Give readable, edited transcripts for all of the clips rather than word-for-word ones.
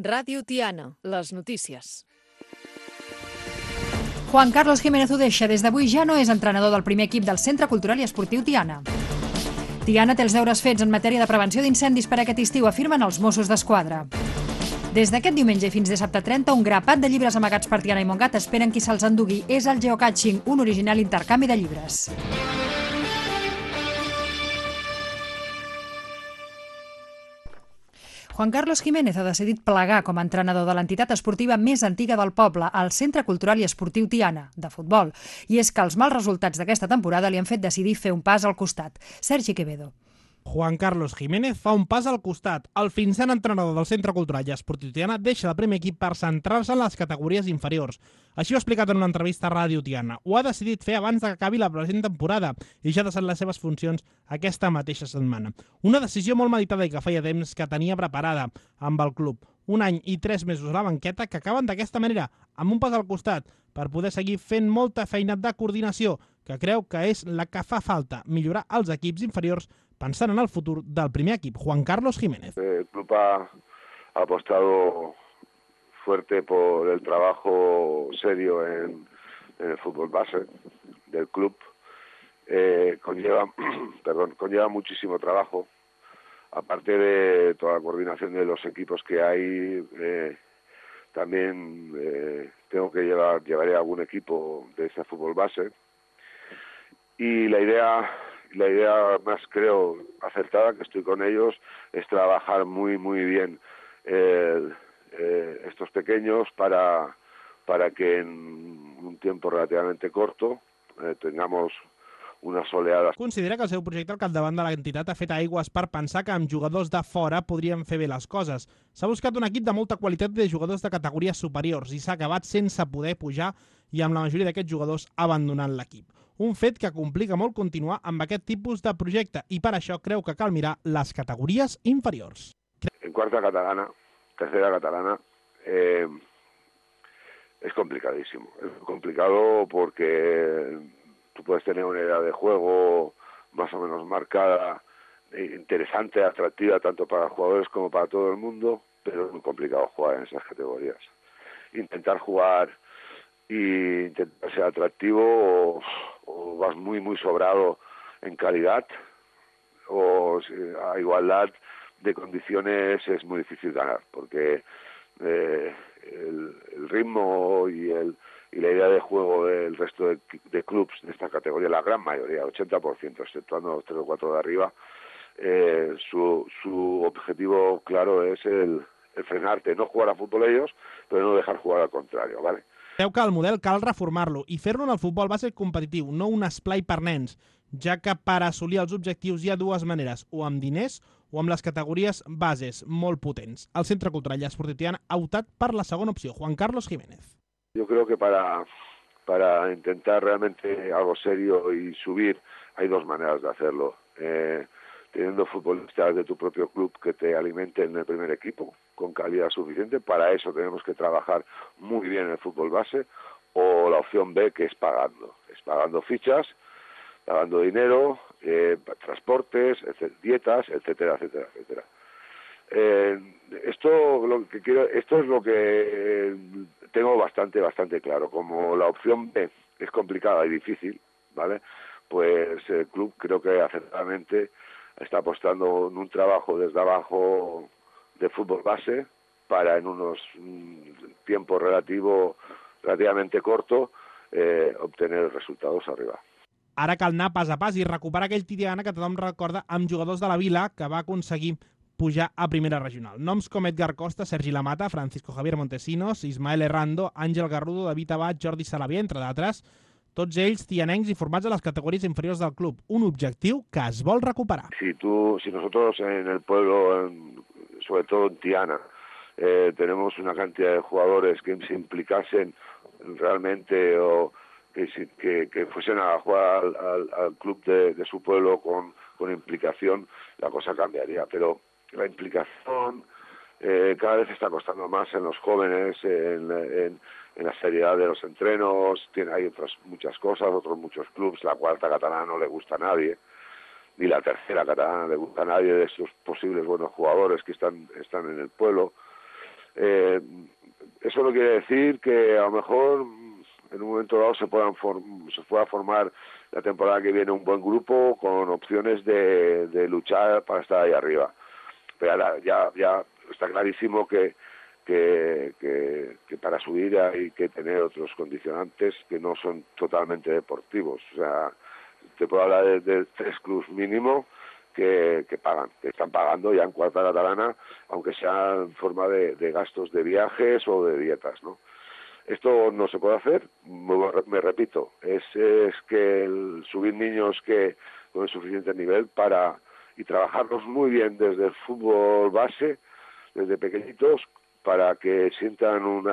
Ràdio Tiana, les notícies. Juan Carlos Jiménez ho deixa. Des d'avui ja no és entrenador del primer equip del Centre Cultural i Esportiu Tiana. Tiana té els deures fets en matèria de prevenció d'incendis per aquest estiu, afirmen els Mossos d'Esquadra. Des d'aquest diumenge i fins dissabte 30, un grapat de llibres amagats per Tiana i Montgat esperen qui se'ls endugui. És el geocaching, un original intercanvi de llibres. Juan Carlos Jiménez ha decidit plegar com a entrenador de l'entitat esportiva més antiga del poble, el Centre Cultural i Esportiu Tiana, de futbol. I és que els mals resultats d'aquesta temporada li han fet decidir fer un pas al costat. Sergi Quevedo. Juan Carlos Jiménez fa un pas al costat. El fins ara entrenador del Centre Cultural i Esportiu Tiana deixa el primer equip per centrar-se en les categories inferiors. Així ho ha explicat en una entrevista a Ràdio Tiana. Ho ha decidit fer abans que acabi la present temporada i ja ha deixat les seves funcions aquesta mateixa setmana. Una decisió molt meditada i que feia temps que tenia preparada amb el club. 1 any i 3 mesos a la banqueta que acaben d'aquesta manera, amb un pas al costat, per poder seguir fent molta feina de coordinació, que creu que és la que fa falta, millorar els equips inferiors pensant en el futur del primer equip, Juan Carlos Jiménez. El club ha apostado fuerte por el trabajo serio en el fútbol base del club. Conlleva muchísimo trabajo. Aparte de toda la coordinación de los equipos que hay, también llevaré algún equipo de ese fútbol base. Y la idea más, creo, acertada, que estoy con ellos, es trabajar muy bien estos pequeños para que en un tiempo relativamente corto tengamos unes oleades. Considera que el seu projecte al capdavant de l'entitat ha fet aigües per pensar que amb jugadors de fora podrien fer bé les coses. S'ha buscat un equip de molta qualitat de jugadors de categories superiors i s'ha acabat sense poder pujar i amb la majoria d'aquests jugadors abandonant l'equip. Un fet que complica molt continuar amb aquest tipus de projecte i per això creu que cal mirar les categories inferiors. En cuarta catalana, tercera catalana, es complicadísimo. Es complicado porque tú puedes tener una idea de juego más o menos marcada, interesante, atractiva tanto para los jugadores como para todo el mundo, pero es muy complicado jugar en esas categorías. Intentar jugar y intentar ser atractivo o vas muy sobrado en calidad o a igualdad de condiciones es muy difícil ganar porque el ritmo y la idea de juego del resto de clubs de esta categoría, la gran mayoría, el 80%, exceptuando los 3 o 4 de arriba, su objetivo claro es el frenarte, no jugar a fútbol ellos, pero no dejar jugar al contrario, ¿vale? Creu que el model cal reformar-lo i fer-lo en el futbol base competitiu, no un esplai per nens, ja que per assolir els objectius hi ha dues maneres, o amb diners o amb les categories bases molt potents. El Centre Cultural i Esportiu Tiana ha optat per la segona opció, Juan Carlos Jiménez. Yo creo que para intentar realmente algo serio y subir hay dos maneras de hacerlo. Teniendo futbolistas de tu propio club que te alimenten en el primer equipo con calidad suficiente, para eso tenemos que trabajar muy bien en el fútbol base, o la opción B, que es pagando fichas, pagando dinero, transportes, dietas, etcétera. Esto es lo que tengo bastante claro. Como la opción B es complicada y difícil, ¿vale? Pues el club creo que acertadamente está apostando en un trabajo desde abajo de fútbol base para en unos tiempos relativamente corto obtener resultados arriba. Ara cal anar pas a pas i recuperar aquell Tiana que tothom recorda amb jugadors de la Vila que va aconseguir pujar a primera regional. Noms com Edgar Costa, Sergi Lamata, Francisco Javier Montesinos, Ismael Errando, Àngel Garrudo, David Abad, Jordi Salavier, entre d'altres, tots ells tianencs i formats a les categories inferiors del club. Un objectiu que es vol recuperar. Si nosotros en el pueblo, sobre todo en Tiana, tenemos una cantidad de jugadores que se implicasen realmente o que fuesen a jugar al club de su pueblo con implicación, la cosa cambiaría. Pero la implicación cada vez está costando más en los jóvenes, en la seriedad de los entrenos. Hay otras muchas cosas, otros muchos clubs. La cuarta catalana no le gusta a nadie, ni la tercera catalana le gusta a nadie de esos posibles buenos jugadores que están en el pueblo. Eso no quiere decir que a lo mejor en un momento dado se pueda formar la temporada que viene un buen grupo con opciones de luchar para estar ahí arriba. Pero ahora ya está clarísimo que para subir hay que tener otros condicionantes que no son totalmente deportivos. O sea, te puedo hablar de 3 clubes mínimo que pagan, que están pagando ya en cuarta catalana, aunque sea en forma de gastos de viajes o de dietas, ¿no? Esto no se puede hacer, me repito, es que subir niños que con el suficiente nivel y trabajarlos muy bien desde el fútbol base, desde pequeñitos, para que sientan un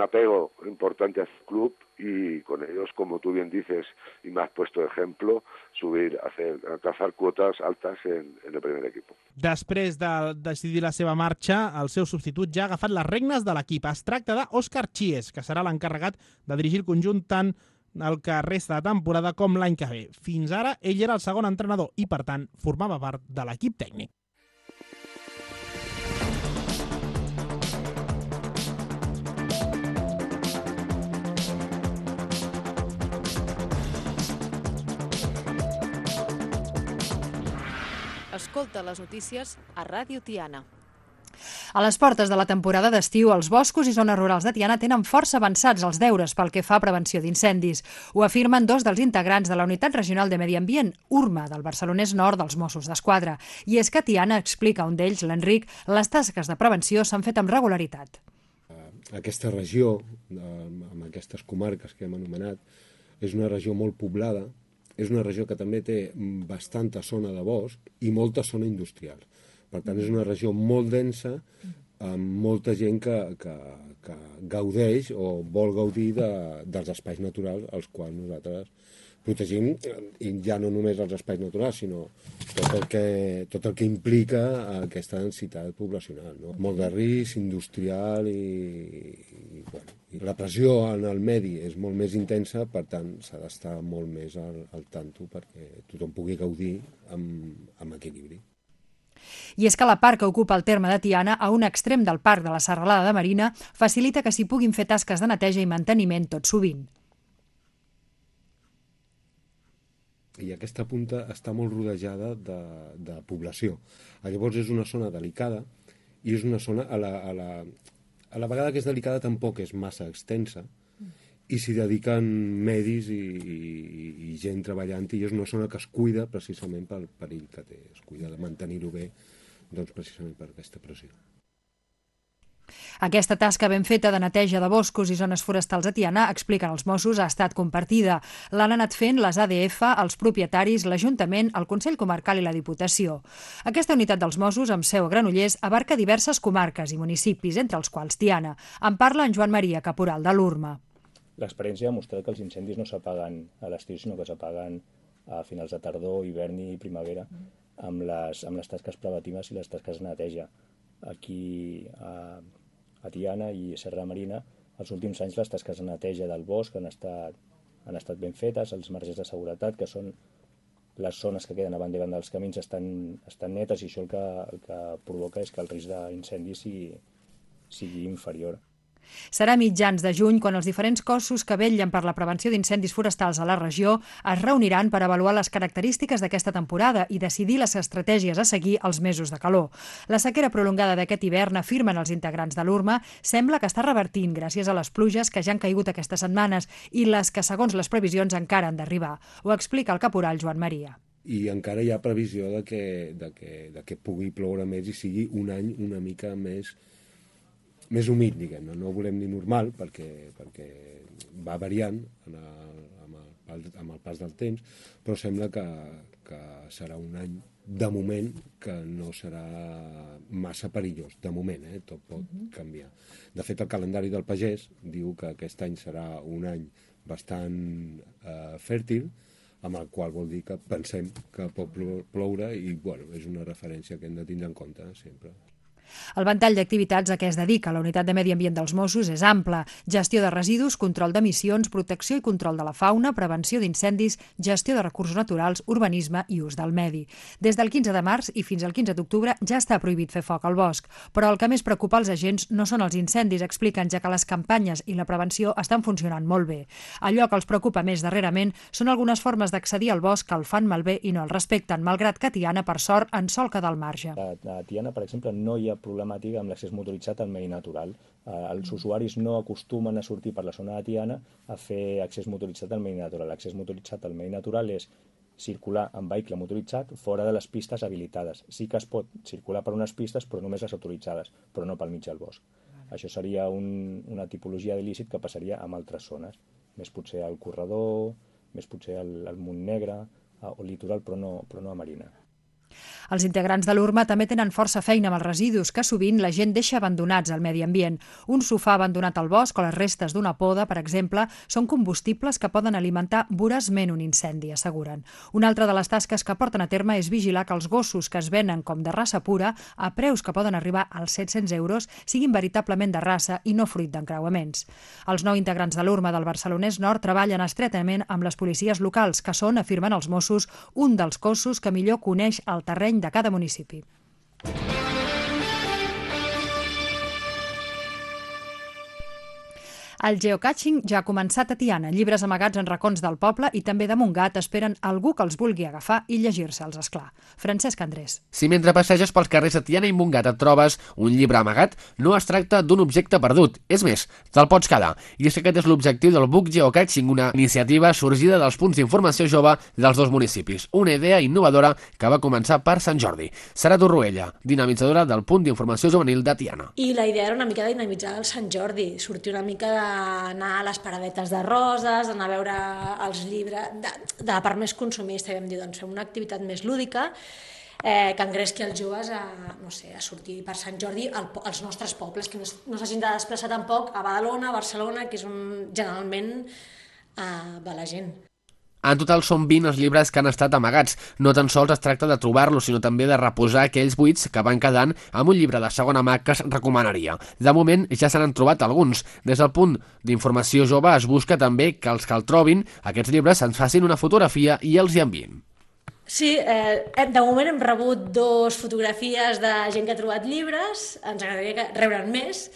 apego importante al club y con ellos, como tú bien dices y me has puesto de ejemplo, alcanzar cuotas altas en el primer equipo. Després de decidir la seva marxa, el seu substitut ja ha agafat les regnes de l'equip. Es tracta d'Òscar Chies, que serà l'encarregat de dirigir el conjunt tant el que resta de temporada com l'any que ve. Fins ara, ell era el segon entrenador i, per tant, formava part de l'equip tècnic. Escolta les notícies a Ràdio Tiana. A les portes de la temporada d'estiu, els boscos i zones rurals de Tiana tenen força avançats els deures pel que fa a prevenció d'incendis. Ho afirmen 2 dels integrants de la Unitat Regional de Medi Ambient, URMA, del Barcelonès Nord dels Mossos d'Esquadra. I és que a Tiana, explica un d'ells, l'Enric, les tasques de prevenció s'han fet amb regularitat. Aquesta regió, amb aquestes comarques que hem anomenat, és una regió molt poblada, és una regió que també té bastanta zona de bosc i molta zona industrial. Per tant, és una regió molt densa, amb molta gent que gaudeix o vol gaudir dels espais naturals als quals nosaltres protegim, i ja no només els espais naturals, sinó tot el que implica aquesta densitat poblacional, no? Molt de risc industrial i la pressió en el medi és molt més intensa, per tant s'ha d'estar molt més al tanto perquè tothom pugui gaudir amb equilibri. I és que la part que ocupa el terme de Tiana, a un extrem del parc de la Serralada de Marina, facilita que s'hi puguin fer tasques de neteja i manteniment tot sovint. I aquesta punta està molt rodejada de població. Llavors és una zona delicada i és una zona a la vegada que és delicada tampoc és massa extensa i s'hi dediquen medis i gent treballant i és una zona que es cuida precisament pel perill que té, es cuida de mantenir-ho bé doncs precisament per aquesta pressió. Aquesta tasca ben feta de neteja de boscos i zones forestals a Tiana, expliquen els Mossos, ha estat compartida. L'han anat fent les ADF, els propietaris, l'Ajuntament, el Consell Comarcal i la Diputació. Aquesta unitat dels Mossos, amb seu a Granollers, abarca diverses comarques i municipis, entre els quals Tiana. En parla en Joan Maria, caporal de l'URMA. L'experiència ha demostrat que els incendis no s'apaguen a l'estiu, sinó que s'apaguen a finals de tardor, hivern i primavera, amb les tasques preventives i les tasques de neteja. Aquí a Tiana i Serra Marina, els últims anys les tasques de neteja del bosc han estat ben fetes, els marges de seguretat, que són les zones que queden a banda i banda dels camins, estan netes, i això el que provoca és que el risc d'incendi sigui inferior. Serà a mitjans de juny quan els diferents cossos que vetllen per la prevenció d'incendis forestals a la regió es reuniran per avaluar les característiques d'aquesta temporada i decidir les estratègies a seguir als mesos de calor. La sequera prolongada d'aquest hivern, afirmen els integrants de l'URMA, sembla que està revertint gràcies a les pluges que ja han caigut aquestes setmanes i les que, segons les previsions, encara han d'arribar. Ho explica el caporal Joan Maria. I encara hi ha previsió de que pugui ploure més i sigui un any una mica més humit, diguem-ne. No volem dir normal, perquè va variant amb el pas del temps, però sembla que serà un any, de moment, que no serà massa perillós. De moment, tot pot canviar. De fet, el calendari del pagès diu que aquest any serà un any bastant fèrtil, amb el qual vol dir que pensem que pot ploure i és una referència que hem de tindre en compte sempre. El ventall d'activitats a què es dedica la Unitat de Medi Ambient dels Mossos és ample: gestió de residus, control d'emissions, protecció i control de la fauna, prevenció d'incendis, gestió de recursos naturals, urbanisme i ús del medi. Des del 15 de març i fins al 15 d'octubre ja està prohibit fer foc al bosc, però el que més preocupa els agents no són els incendis, expliquen, ja que les campanyes i la prevenció estan funcionant molt bé. Allò que els preocupa més darrerament són algunes formes d'accedir al bosc que el fan malbé i no el respecten, malgrat que a Tiana, per sort, en sol quedar al marge. A Tiana, per exemple, no hi ha problemàtica amb l'accés motoritzat al medi natural. Els usuaris no acostumen a sortir per la zona de Tiana a fer accés motoritzat al medi natural. L'accés motoritzat al medi natural és circular amb vehicle motoritzat fora de les pistes habilitades. Sí que es pot circular per unes pistes, però només les autoritzades, però no pel mig del bosc. Això seria una tipologia d'il·lícit que passaria en altres zones, més potser al corredor, més potser al Montnegre o litoral, però no a Marina. Els integrants de l'URMA també tenen força feina amb els residus que sovint la gent deixa abandonats al medi ambient. Un sofà abandonat al bosc o les restes d'una poda, per exemple, són combustibles que poden alimentar voraçment un incendi, asseguren. Una altra de les tasques que porten a terme és vigilar que els gossos que es venen com de raça pura, a preus que poden arribar als 700 euros, siguin veritablement de raça i no fruit d'encreuaments. Els 9 integrants de l'URMA del Barcelonès Nord treballen estretament amb les policies locals, que són, afirmen els Mossos, un dels cossos que millor coneix el terreny de cada municipi. El geocaching ja ha començat a Tiana. Llibres amagats en racons del poble i també de Montgat esperen algú que els vulgui agafar i llegir-se'ls, esclar. Francesc Andrés. Si mentre passeges pels carrers de Tiana i Montgat et trobes un llibre amagat, no es tracta d'un objecte perdut. És més, te'l pots quedar. I és que aquest és l'objectiu del Book Geocaching, una iniciativa sorgida dels punts d'informació jove dels dos municipis. Una idea innovadora que va començar per Sant Jordi. Sara Torroella, dinamitzadora del punt d'informació juvenil de Tiana. I la idea era una mica de dinamitzar el Sant Jordi, sortir una mica anar a les paradetes de roses, anar a veure els llibres, de la part més consumista, i vam dir, doncs fem una activitat més lúdica que engresqui els joves a sortir per Sant Jordi als nostres pobles, que no s'hagin de desplaçar tampoc a Badalona, a Barcelona, que és on generalment va la gent. En total són 20 els llibres que han estat amagats. No tan sols es tracta de trobar-los, sinó també de reposar aquells buits que van quedant amb un llibre de segona mà que es recomanaria. De moment ja se n'han trobat alguns. Des del punt d'informació jove es busca també que els que el trobin, aquests llibres, ens facin una fotografia i els hi enviïn. Sí, de moment hem rebut 2 fotografies de gent que ha trobat llibres, ens agradaria rebre'n més.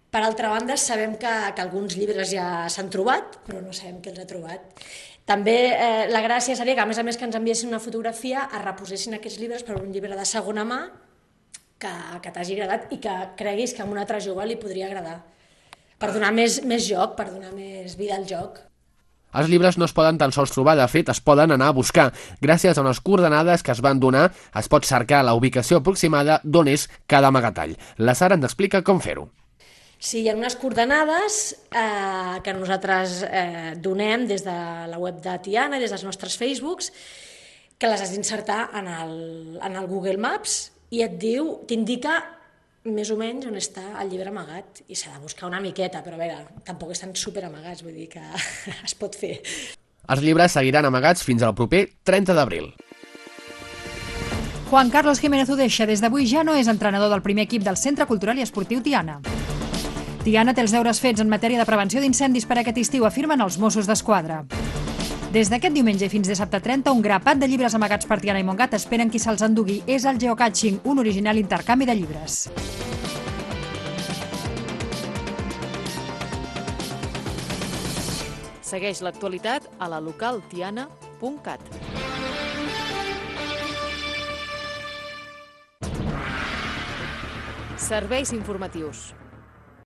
Per altra banda, sabem que alguns llibres ja s'han trobat, però no sabem qui els ha trobat. També la gràcia seria que, a més que ens enviessin una fotografia, es reposessin aquests llibres per un llibre de segona mà que t'hagi agradat i que creguis que a un altre jove li podria agradar, per donar més joc, per donar més vida al joc. Els llibres no es poden tan sols trobar, de fet es poden anar a buscar. Gràcies a unes coordenades que es van donar, es pot cercar la ubicació aproximada d'on és cada amagatall. La Sara ens explica com fer-ho. Sí, hi ha unes coordenades que nosaltres donem des de la web de Tiana i des dels nostres Facebooks, que les has d'insertar en el Google Maps i t'indica més o menys on està el llibre amagat, i s'ha de buscar una miqueta, però a veure, tampoc estan super amagats, vull dir que es pot fer. Els llibres seguiran amagats fins al proper 30 d'abril. Juan Carlos Jiménez Udeixa des d'avui ja no és entrenador del primer equip del Centre Cultural i Esportiu Tiana. Tiana té els deures fets en matèria de prevenció d'incendis per aquest estiu, afirmen els Mossos d'Esquadra. Des d'aquest diumenge fins dissabte 30, un grapat de llibres amagats per Tiana i Montgat esperen qui se'ls endugui. És el geocaching, un original intercanvi de llibres. Segueix l'actualitat a la localtiana.cat. Serveis informatius.